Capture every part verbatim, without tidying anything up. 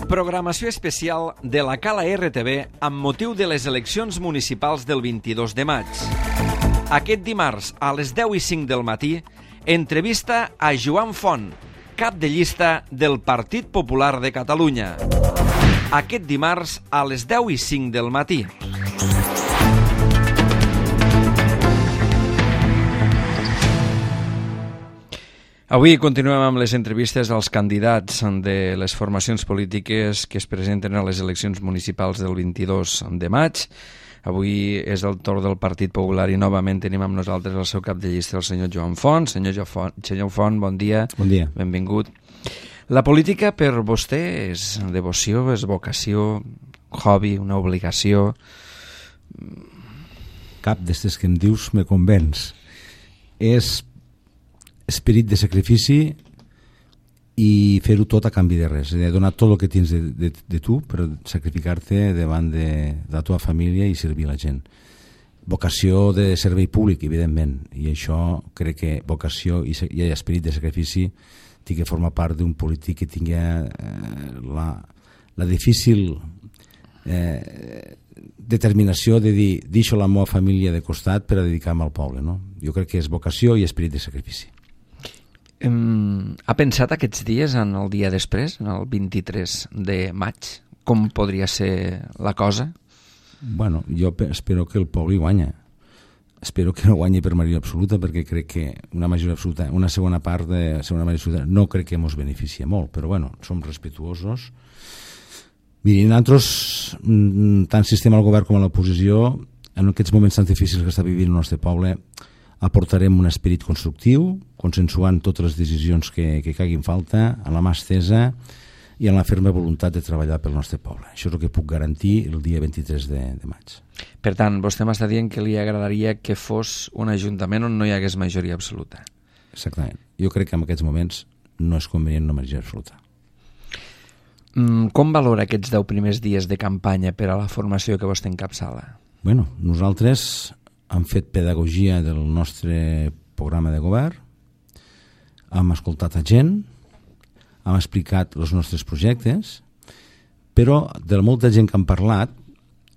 Programació especial de la Cala R T V amb motiu de les eleccions municipals del vint-i-dos de maig. Aquest dimarts, a les deu i cinc del matí, entrevista a Joan Font, cap de llista del Partit Popular de Catalunya. Aquest dimarts, a les deu i cinc del matí. Avui continuem amb les entrevistes als candidats de les formacions polítiques que es presenten a les eleccions municipals del vint-i-dos de maig. Avui és el torn del Partit Popular i novament tenim amb nosaltres el seu cap de llista, el senyor Joan Font. Senyor Font, senyor Font, bon dia. Bon dia. Benvingut. La política per vostè és devoció, és vocació, hobby, una obligació? Cap d'estes que em dius me convenç. És esperit de sacrifici i fer-ho tot a canvi de res, de donar tot el que tens de, de, de tu per sacrificar-te davant de, de la teva família i servir la gent. Vocació de servei públic, evidentment, i això crec que vocació i, i esperit de sacrifici té que formar part d'un polític que tingui eh, la, la difícil eh, determinació de dir deixo la meva família de costat per a dedicar-me al poble, no? Jo crec que és vocació i esperit de sacrifici. Um, ha pensat aquests dies en el dia després, en el vint-i-tres de maig, com podria ser la cosa? Bueno, jo espero que el poble hi guanya. Espero que no guanyi per majoria absoluta, perquè crec que una majoria absoluta, una segona part de segona majoria absoluta, no crec que ens beneficia molt, però bueno, som respetuosos. Mirin, nosaltres, tant sistema al govern com a l'oposició, en aquests moments tan difícils que està vivint el nostre poble, aportarem un esperit constructiu, consensuant totes les decisions que, que caiguin falta, a la mà estesa i amb la ferma voluntat de treballar pel nostre poble. Això és el que puc garantir el dia vint-i-tres de, de maig. Per tant, vostè m'està dient que li agradaria que fos un ajuntament on no hi hagués majoria absoluta. Exactament. Jo crec que en aquests moments no és convenient una majoria absoluta. Mm, com valora aquests deu primers dies de campanya per a la formació que vostè encapçala? Bueno, nosaltres hem fet pedagogia del nostre programa de govern, hem escoltat a gent, hem explicat els nostres projectes, però de molta gent que han parlat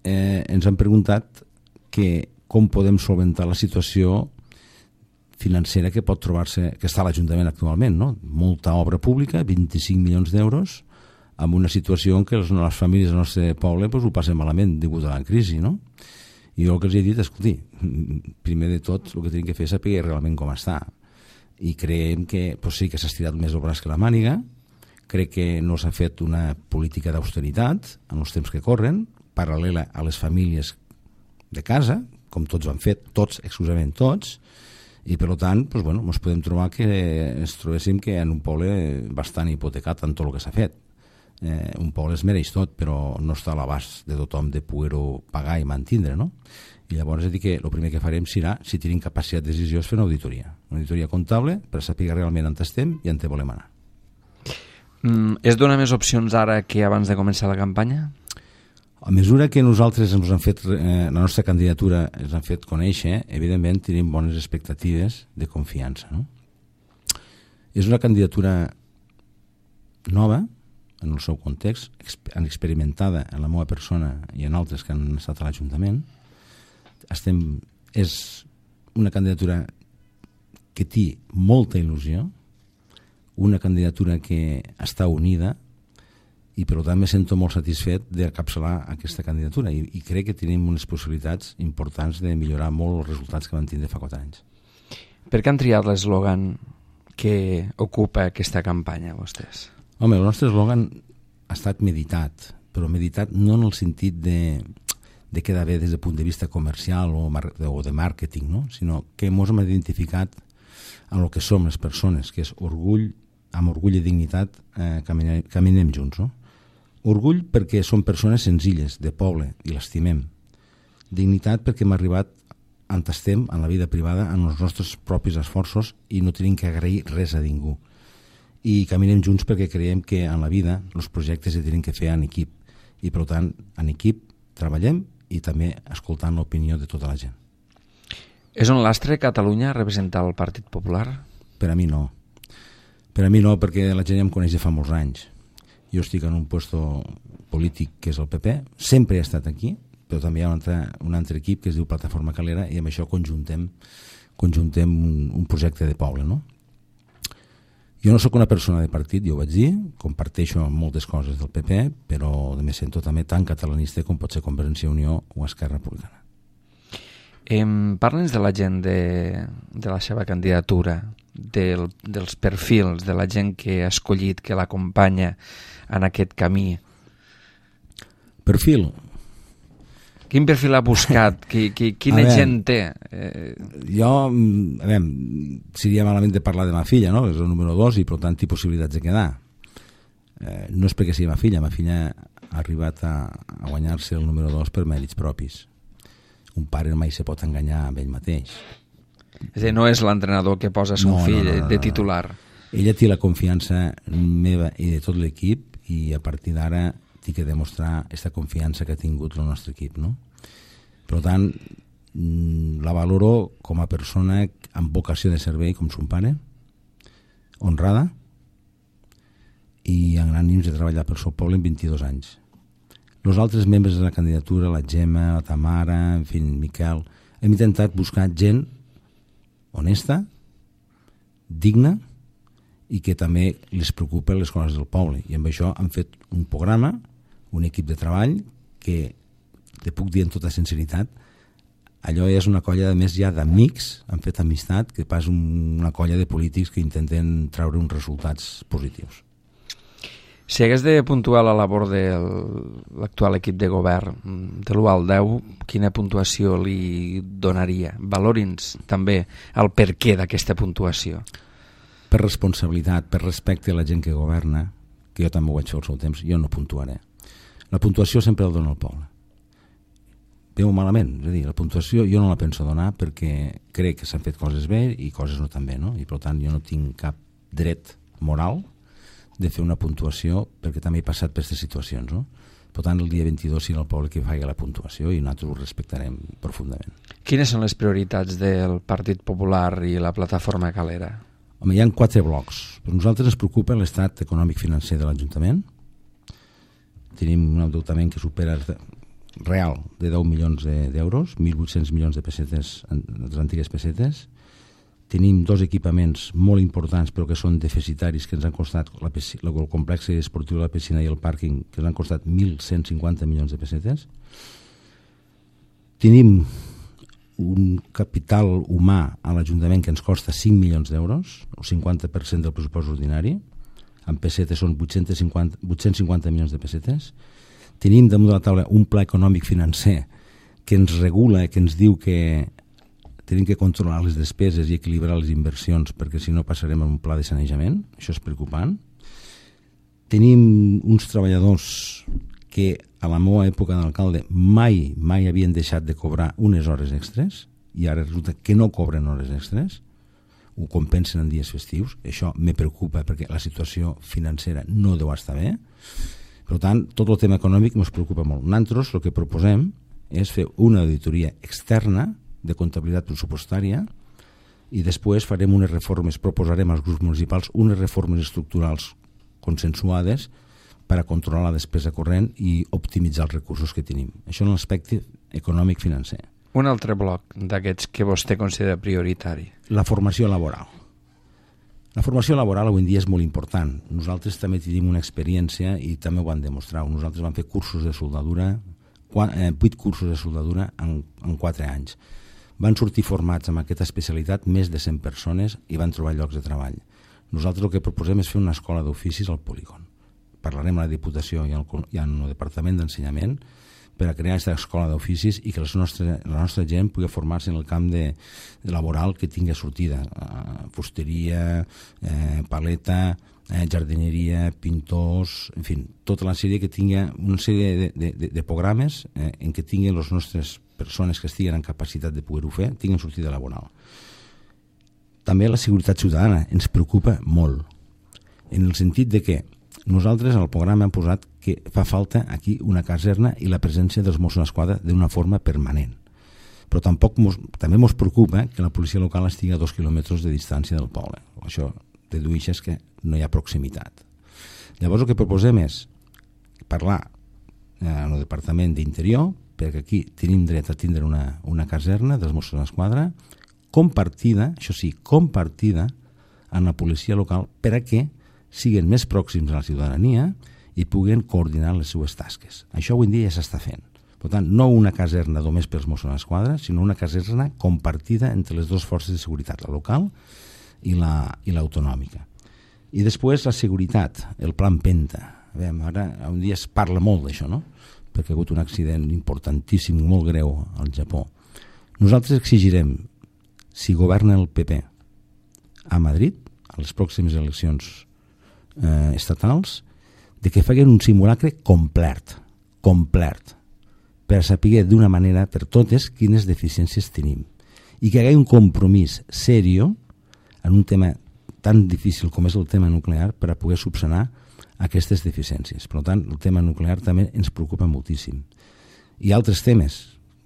eh, ens han preguntat que com podem solventar la situació financera que pot trobar-se, que està a l'Ajuntament actualment, no? Molta obra pública, vint-i-cinc milions d'euros, amb una situació en què les, les famílies del nostre poble pues, ho passen malament degut a la crisi, no? I jo el que els he dit, escolti, primer de tot el que tenim que fer és saber realment com està. I creiem que pues sí que s'ha estirat més el braç que la màniga, crec que no s'ha fet una política d'austeritat en els temps que corren, paral·lela a les famílies de casa, com tots ho han fet, tots, exclusivament tots, i per tant, pues, bueno, ens podem trobar que ens trobéssim que en un poble bastant hipotecat en tot el que s'ha fet. Eh, un poble es mereix tot, però no està a l'abast de tothom de poder-ho pagar i mantindre, no? I llavors he dit que el primer que farem serà, si tenim capacitat de decisió, és fer una auditoria. Una auditoria comptable per saber realment on estem i on volem anar. Mm, es dona més opcions ara que abans de començar la campanya? A mesura que nosaltres ens han fet, eh, la nostra candidatura ens han fet conèixer, evidentment tenim bones expectatives de confiança, no? És una candidatura nova, en el seu context, experimentada en la meva persona i en altres que han estat a l'Ajuntament. Estem, és una candidatura que té molta il·lusió, una candidatura que està unida i per tant me sento molt satisfet d'encapçalar aquesta candidatura i, i crec que tenim unes possibilitats importants de millorar molt els resultats que vam tindre fa quatre anys. Per què han triat l'eslògan que ocupa aquesta campanya, vostès? Home, el nostre eslògan ha estat meditat, però meditat no en el sentit de, de quedar bé des del punt de vista comercial o, mar, o de màrqueting, no? Sinó que ens hem identificat amb el que som les persones, que és orgull, amb orgull i dignitat eh, caminem, caminem junts, no? Orgull perquè som persones senzilles, de poble, i l'estimem. Dignitat perquè hem arribat on estem en la vida privada, en els nostres propis esforços i no tenim que agrair res a ningú. I caminem junts perquè creiem que en la vida els projectes se tenen que fer en equip i per tant en equip treballem i també escoltant l'opinió de tota la gent. És un lastre Catalunya representar el Partit Popular? Per a mi no. Per a mi no, perquè la gent ja em coneix de fa molts anys jo estic en un puesto polític que és el P P, sempre he estat aquí, però també hi ha un altre, un altre equip que es diu Plataforma Calera i amb això conjuntem, conjuntem un, un projecte de poble, no? Jo no sóc una persona de partit, jo ho vaig dir, comparteixo moltes coses del P P, però me sento també tan catalanista com pot ser Convergència i Unió o Esquerra Republicana. Eh, Parla'ns de la gent de, de la seva candidatura, del, dels perfils de la gent que ha escollit, que l'acompanya en aquest camí. Perfil? Quin perfil ha buscat? Qui, qui, quina veure, gent té? Eh... Jo, a veure, seria malament de parlar de ma filla, no? És el número dos i per tant té possibilitats de quedar. Eh, no és perquè sigui ma filla, ma filla ha arribat a, a guanyar-se el número dos per mèrits propis. Un pare mai se pot enganyar amb ell mateix. És a dir, no és l'entrenador que posa son no, fill no, no, no, de titular. Ella té la confiança meva i de tot l'equip i a partir d'ara té que demostrar aquesta confiança que ha tingut el nostre equip, no? Per tant, la valoro com a persona amb vocació de servei com son pare, honrada i amb ànims de treballar pel seu poble en vint-i-dos anys. Els altres membres de la candidatura, la Gemma, la Tamara, en fi, Miquel, hem intentat buscar gent honesta, digna i que també les preocupa les coses del poble. I amb això han fet un programa, un equip de treball que, te puc dir amb tota sinceritat, allò és una colla de més ja d'amics, han fet amistat, que pas una colla de polítics que intenten treure uns resultats positius. Si hagués de puntuar la labor de l'actual equip de govern de l'u al deu, quina puntuació li donaria? Valori'ns també el perquè d'aquesta puntuació. Per responsabilitat, per respecte a la gent que governa, que jo també ho vaig fer al seu temps, jo no puntuaré. La puntuació sempre el dona el poble. Veu malament, és a dir, la puntuació jo no la penso donar perquè crec que s'han fet coses bé i coses no tan bé, no? I per tant jo no tinc cap dret moral de fer una puntuació perquè també he passat per aquestes situacions, no? Per tant, el dia vint-i-dos serà el poble que faci la puntuació i nosaltres ho respectarem profundament. Quines són les prioritats del Partit Popular i la Plataforma Calera? Home, hi ha quatre blocs. Per nosaltres ens preocupa l'estat econòmic-financer de l'Ajuntament. Tenim un endeutament que supera real de deu milions d'euros, mil vuit-cents milions de pessetes, de les antigues pessetes. Tenim dos equipaments molt importants però que són deficitaris, que ens han costat la piscina, el complex esportiu de la piscina i el pàrquing, que ens han costat mil cent cinquanta milions de pessetes. Tenim un capital humà a l'Ajuntament que ens costa cinc milions d'euros, o cinquanta per cent del pressupost ordinari. En pessetes són vuit-cents cinquanta milions de pessetes. Tenim damunt de la taula un pla econòmic financer que ens regula, que ens diu que tenim que controlar les despeses i equilibrar les inversions perquè si no passarem a un pla de sanejament. Això és preocupant. Tenim uns treballadors que a la meva època d'alcalde mai, mai havien deixat de cobrar unes hores extres i ara resulta que no cobren hores extres, ho compensen en dies festius. Això me preocupa perquè la situació financera no deu estar bé. Per tant, tot el tema econòmic ens preocupa molt. Nosaltres el que proposem és fer una auditoria externa de comptabilitat pressupostària i després farem unes reformes, proposarem als grups municipals unes reformes estructurals consensuades per a controlar la despesa corrent i optimitzar els recursos que tenim. Això en l'aspecte econòmic-financer. Un altre bloc d'aquests que vostè considera prioritari. La formació laboral. La formació laboral avui en dia és molt important. Nosaltres també tenim una experiència i també ho van demostrar. Nosaltres vam fer cursos de soldadura, vuit cursos de soldadura en, en quatre anys. Van sortir formats amb aquesta especialitat més de cent persones i van trobar llocs de treball. Nosaltres el que proposem és fer una escola d'oficis al polígon. Parlarem a la Diputació i al, i al Departament d'Ensenyament per a crear aquesta escola d'oficis i que les nostre, la nostra gent pugui formar-se en el camp de, de laboral que tingui sortida. Uh, fusteria, eh, paleta, eh, jardineria, pintors, en fi, tota la sèrie que tingui una sèrie de, de, de, de programes eh, en què tinguin les nostres persones que estiguen en capacitat de poder-ho fer, tinguin sortida laboral. També la seguretat ciutadana ens preocupa molt, en el sentit de que nosaltres al programa hem posat que fa falta aquí una caserna i la presència dels Mossos d'Esquadra d'una forma permanent. Però tampoc mos, també ens preocupa que la policia local estigui a dos quilòmetres de distància del poble. Això dedueixes que no hi ha proximitat. Llavors el que proposem és parlar eh, en el Departament d'Interior, perquè aquí tenim dret a tindre una, una caserna dels Mossos d'Esquadra compartida, això sí, compartida amb la policia local per a que siguin més pròxims a la ciutadania i puguen coordinar les seues tasques. Això avui en dia ja s'està fent. Per tant, no una caserna només pels Mossos d'Esquadra, sinó una caserna compartida entre les dues forces de seguretat, la local i la, i l'autonòmica. I després la seguretat, el plan Penta. A veure, ara un dia es parla molt d'això, no? Perquè ha hagut un accident importantíssim, molt greu al Japó. Nosaltres exigirem, si governa el P P a Madrid, a les pròximes eleccions eh, estatals, de que facin un simulacre complet, complet, per saber d'una manera per totes quines deficiències tenim. I que hi hagi un compromís serio en un tema tan difícil com és el tema nuclear per a poder subsanar aquestes deficiències. Per tant, el tema nuclear també ens preocupa moltíssim. Hi ha altres temes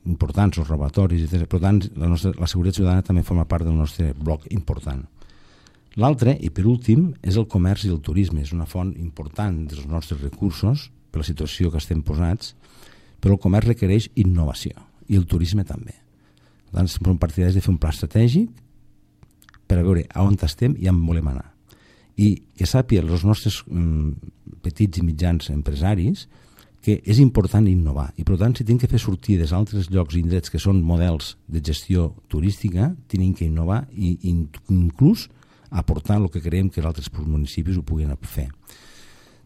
importants, els robatoris, etcètera. Per tant, la, nostra, la seguretat ciutadana també forma part del nostre bloc important. L'altre, i per últim, és el comerç i el turisme. És una font important dels nostres recursos per la situació que estem posats, però el comerç requereix innovació i el turisme també. Per tant, som partidaris de fer un pla estratègic per a veure a on estem i on volem anar. I que sàpiguen els nostres mm, petits i mitjans empresaris que és important innovar. I per tant, si tenen que fer sortides a altres llocs i indrets que són models de gestió turística, tenen que innovar i inclús aportar el que creiem que els altres municipis ho puguin fer.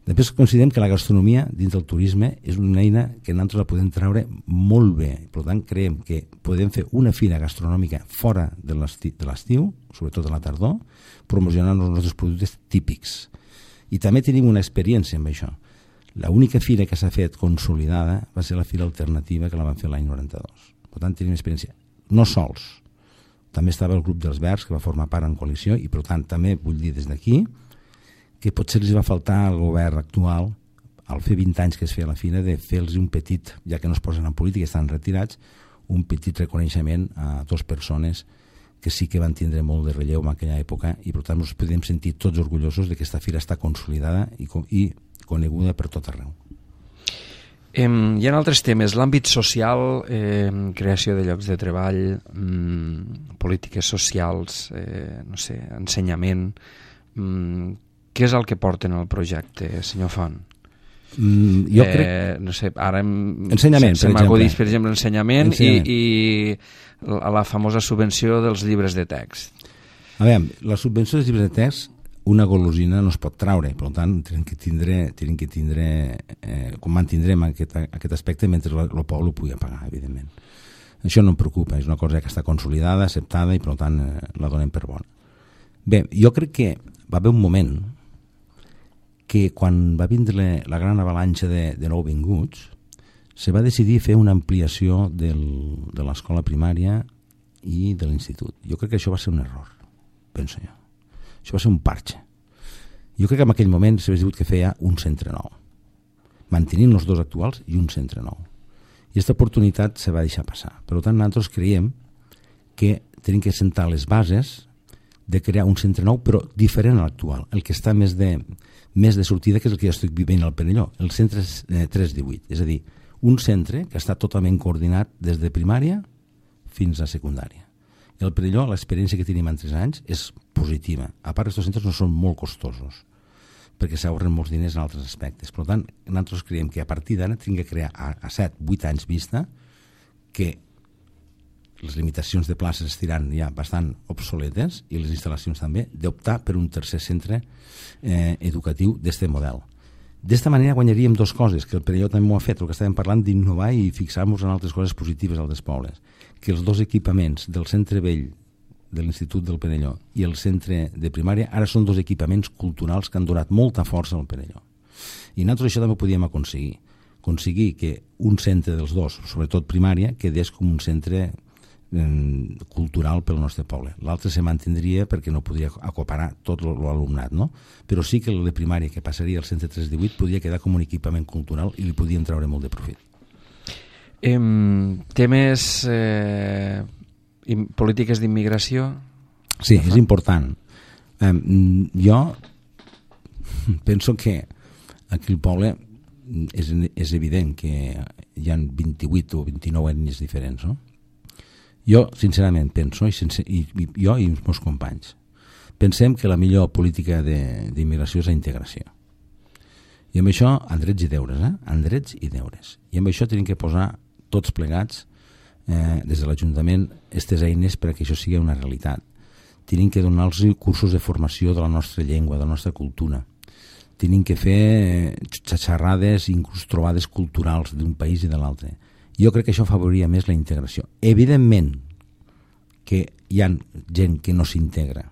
Després considerem que la gastronomia dins del turisme és una eina que nosaltres la podem treure molt bé. Per tant, creiem que podem fer una fira gastronòmica fora de l'estiu, sobretot a la tardor, promocionant els nostres productes típics. I també tenim una experiència amb això. L'única fira que s'ha fet consolidada va ser la fira alternativa que la van fer l'any noranta-dos. Per tant, tenim experiència. No sols. També estava el grup dels Verds, que va formar part en coalició, i per tant també vull dir des d'aquí que potser els va faltar al govern actual, al fer vint anys que es feia la fira, de fer-los un petit, ja que no es posen en política, estan retirats, un petit reconeixement a dues persones que sí que van tindre molt de relleu en aquella època i per tant ens podem sentir tots orgullosos de que aquesta fira està consolidada i, i coneguda per tot arreu. Eh, hi ha altres temes, l'àmbit social, eh, creació de llocs de treball, mm, polítiques socials, eh, no sé, ensenyament. Mm, què és el que porten al projecte, senyor Font? Mm, jo eh, crec... No sé, ara em... Ensenyament, se, per se exemple. per exemple, ensenyament, ensenyament. I, i la, la famosa subvenció dels llibres de text. A veure, la subvenció dels llibres de text, una golosina no es pot traure, per tant, tenen que tindre, tenen que tindre eh, com mantindrem aquest, aquest aspecte mentre el poble ho pugui pagar, evidentment. Això no em preocupa, és una cosa que està consolidada, acceptada i per tant eh, la donem per bona. Bé, jo crec que va haver un moment que quan va vindre la gran avalanxa de, de nouvinguts se va decidir fer una ampliació del, de l'escola primària i de l'institut. Jo crec que això va ser un error, penso jo. Això va ser un parche. Jo crec que en aquell moment s'havia dit que feia un centre nou, mantenint els dos actuals i un centre nou. I aquesta oportunitat se va deixar passar. Per tant, nosaltres creiem que tenim que sentar les bases de crear un centre nou, però diferent a l'actual, el que està més de, més de sortida, que és el que jo estic vivint al Perelló, el centre eh, tres divuit, és a dir, un centre que està totalment coordinat des de primària fins a secundària. I al Perelló l'experiència que tenim en tres anys és positiva. A part, aquests centres no són molt costosos, perquè s'ahorren molts diners en altres aspectes. Per tant, nosaltres creiem que a partir d'ara tenim que crear a, a set vuit anys vista que les limitacions de places estiran ja bastant obsoletes i les instal·lacions també, d'optar per un tercer centre eh, educatiu d'aquest model. D'esta manera guanyaríem dues coses, que el Perelló també m'ho ha fet, el que estàvem parlant d'innovar i fixar-nos en altres coses positives als pobles, que els dos equipaments del centre vell de l'Institut del Perelló i el centre de primària ara són dos equipaments culturals que han donat molta força al Perelló. I nosaltres això també ho podíem aconseguir, aconseguir que un centre dels dos, sobretot primària, quedés com un centre cultural pel nostre poble. L'altre se mantindria perquè no podria acoparar tot l'alumnat, no? Però sí que el de primària, que passaria al centre tres divuit, podria quedar com un equipament cultural i li podien treure molt de profit. Eh, temes eh, polítiques d'immigració? Sí, és important. Eh, jo penso que Aquí al poble és, és evident que hi ha vint-i-vuit o vint-i-nou ètnies diferents, no? Jo, sincerament, penso, i, sense, i, i jo i els meus companys, pensem que la millor política d'immigració és la integració. I amb això, en drets i deures, eh? En drets i deures. I amb això tenim que posar tots plegats, eh, des de l'Ajuntament, aquestes eines perquè això sigui una realitat. Tenim que donar-los cursos de formació de la nostra llengua, de la nostra cultura. Tenim que fer xerrades, inclús trobades culturals d'un país i de l'altre. Jo crec que això afavoria més la integració. Evidentment que hi ha gent que no s'integra.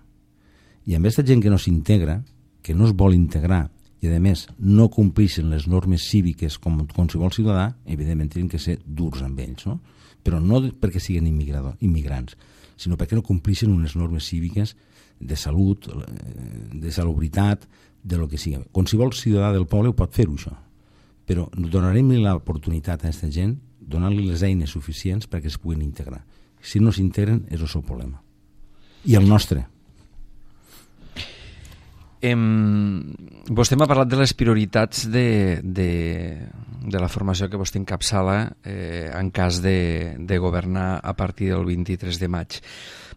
I amb aquesta gent que no s'integra, que no es vol integrar, i a més no compleixen les normes cíviques com qualsevol ciutadà, evidentment tenen que ser durs amb ells, no? Però no perquè siguin immigrants, sinó perquè no compleixen unes normes cíviques de salut, de salubritat, de lo que sigui. Qualsevol ciutadà del poble ho pot fer-ho, això. Però donarem l'oportunitat a aquesta gent, donar-li les eines suficients perquè es puguin integrar. Si no s'integren, és el seu problema. I el nostre. Em, vostè m'ha parlat de les prioritats de, de, de la formació que vostè encapçala eh, en cas de, de governar a partir del vint-i-tres de maig.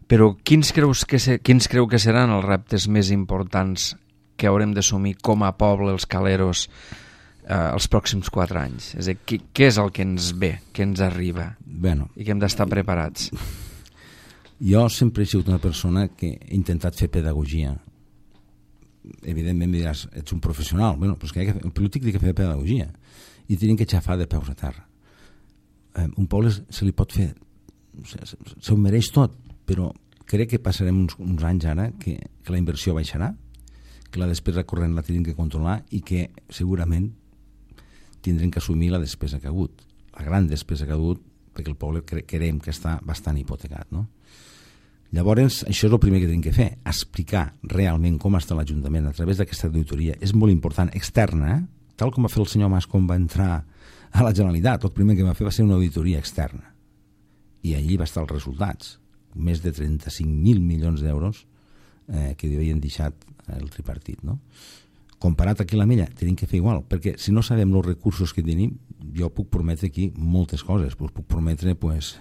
Però quins, creus que se, quins creu que seran els reptes més importants que haurem d'assumir com a poble, els caleros, eh, els pròxims quatre anys? És a dir, què, què és el que ens ve, que ens arriba, bueno, i que hem d'estar preparats? Jo sempre he sigut una persona que he intentat fer pedagogia. Evidentment em diràs, ets un professional. Bueno, però és que el polític té que fer pedagogia i tenim que xafar de peus a terra. Eh, un poble se li pot fer, se, se, se ho mereix tot, però crec que passarem uns, uns anys ara que, que la inversió baixarà, que la despesa corrent la tenim que controlar i que segurament tindrem que assumir la despesa que ha hagut, la gran despesa que ha hagut, perquè el poble cre creiem que està bastant hipotecat, no? Llavors, això és el primer que tenim que fer, explicar realment com està l'Ajuntament a través d'aquesta auditoria. És molt important, externa, eh? Tal com va fer el senyor Mas quan va entrar a la Generalitat. El primer que va fer va ser una auditoria externa. I allí va estar els resultats. Més de trenta-cinc mil milions d'euros eh, que havien deixat el tripartit, no? Comparat aquí a la Mella, tenim que fer igual, perquè si no sabem els recursos que tenim, jo puc prometre aquí moltes coses. Pues puc prometre, pues,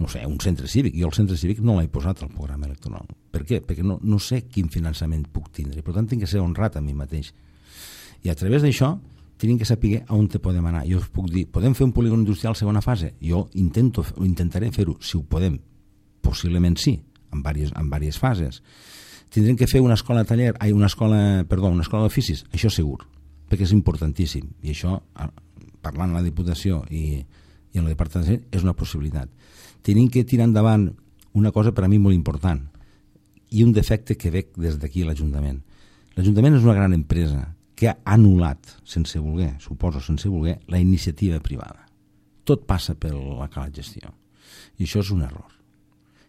no sé, un centre cívic. Jo el centre cívic no l'he posat al programa electoral. Per què? Perquè no, no sé quin finançament puc tindre. Per tant, tinc que ser honrat a mi mateix. I a través d'això, tenim que saber on te podem anar. Jo us puc dir, podem fer un polígon industrial segona fase? Jo intento, intentaré fer-ho, si ho podem. Possiblement sí, en diverses, en diverses fases. Tindrem que fer una escola taller, ai, una escola, perdó, una escola d'oficis, això segur, perquè és importantíssim. I això, parlant amb la Diputació i, i en el Departament, és una possibilitat. Tenim que tirar endavant una cosa per a mi molt important i un defecte que veig des d'aquí a l'Ajuntament. L'Ajuntament és una gran empresa que ha anul·lat, sense voler, suposo sense voler, la iniciativa privada. Tot passa per la cala gestió. I això és un error.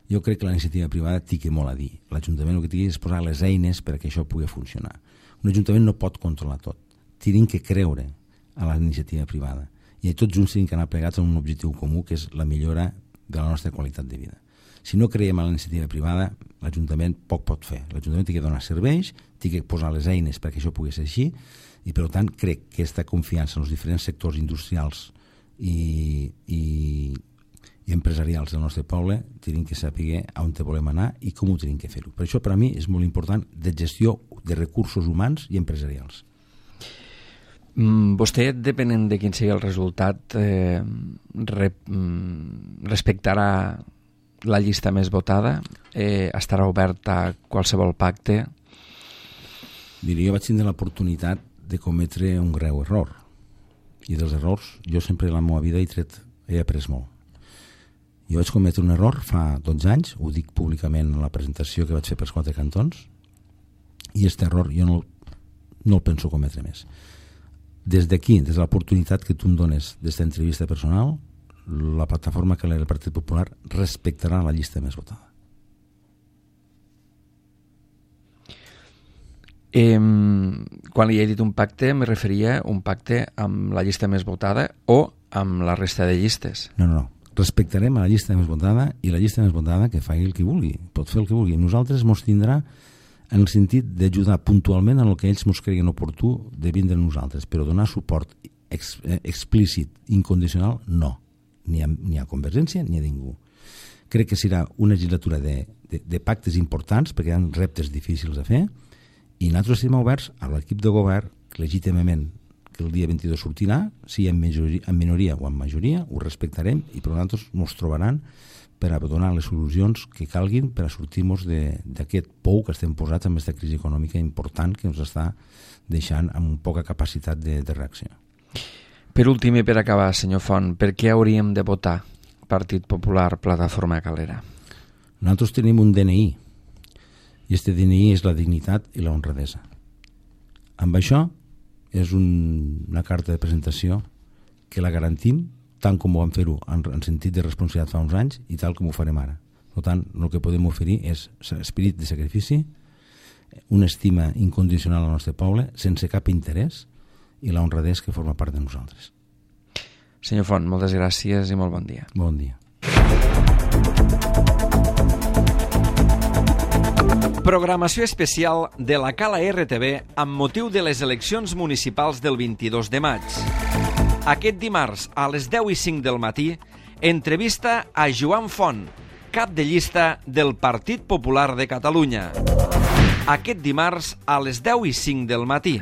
Jo crec que la iniciativa privada té molt a dir. L'Ajuntament el que té és posar les eines perquè això pugui funcionar. Un Ajuntament no pot controlar tot. Tenim que creure a la iniciativa privada. I tots junts tenim que anar plegats a un objectiu comú, que és la millora de la nostra qualitat de vida. Si no creiem en la iniciativa privada, l'Ajuntament poc pot fer. L'Ajuntament té que donar serveis, té que posar les eines perquè això pugui ser així, i per tant crec que aquesta confiança en els diferents sectors industrials i, i, i empresarials del nostre poble tenim que saber on te volem anar i com ho tenim que fer-ho. Per això per a mi és molt important de gestió de recursos humans i empresarials. Mm, vostè, depenent de quin sigui el resultat, eh, re, mm, respectarà la llista més votada? Eh, estarà obert a qualsevol pacte? Mira, jo vaig tindre l'oportunitat de cometre un greu error. I dels errors, jo sempre a la meva vida he tret, he après molt. Jo vaig cometre un error fa dotze anys, ho dic públicament en la presentació que vaig fer pels quatre cantons, i aquest error jo no, no el penso cometre més. Des d'aquí, des de l'oportunitat que tu em dones d'esta entrevista personal, la plataforma que el Partit Popular respectarà la llista més votada. Eh, quan li he dit un pacte, me referia a un pacte amb la llista més votada o amb la resta de llistes? No, no, no. Respectarem a la llista més votada i la llista més votada que faci el que vulgui, pot fer el que vulgui. Nosaltres mos tindrà en el sentit d'ajudar puntualment en el que ells ens creguin oportú de vindre a nosaltres, però donar suport ex, eh, explícit, incondicional, no. Ni a, ni a Convergència ni a ningú. Crec que serà una legislatura de, de, de pactes importants, perquè hi ha reptes difícils de fer, i nosaltres estem oberts a l'equip de govern, legítimament, que el dia vint-i-dos sortirà, si en, majoria, en minoria o en majoria, ho respectarem, i per nosaltres ens trobaran per a donar les solucions que calguin per a sortir-nos d'aquest pou que estem posats amb aquesta crisi econòmica important que ens està deixant amb poca capacitat de, de reacció. Per últim i per acabar, senyor Font, per què hauríem de votar Partit Popular, Plataforma Calera? Nosaltres tenim un D N I, i aquest D N I és la dignitat i la honradesa. Amb això és un, una carta de presentació que la garantim tant com ho vam fer-ho en, en sentit de responsabilitat fa uns anys i tal com ho farem ara. Per tant, el que podem oferir és esperit de sacrifici, una estima incondicional al nostre poble, sense cap interès, i la honradesa que forma part de nosaltres. Senyor Font, moltes gràcies i molt bon dia. Bon dia. Programació especial de la Cala R T V amb motiu de les eleccions municipals del vint-i-dos de maig. Aquest dimarts, a les deu i cinc del matí, entrevista a Joan Font, cap de llista del Partit Popular de Catalunya. Aquest dimarts, a les deu i cinc del matí.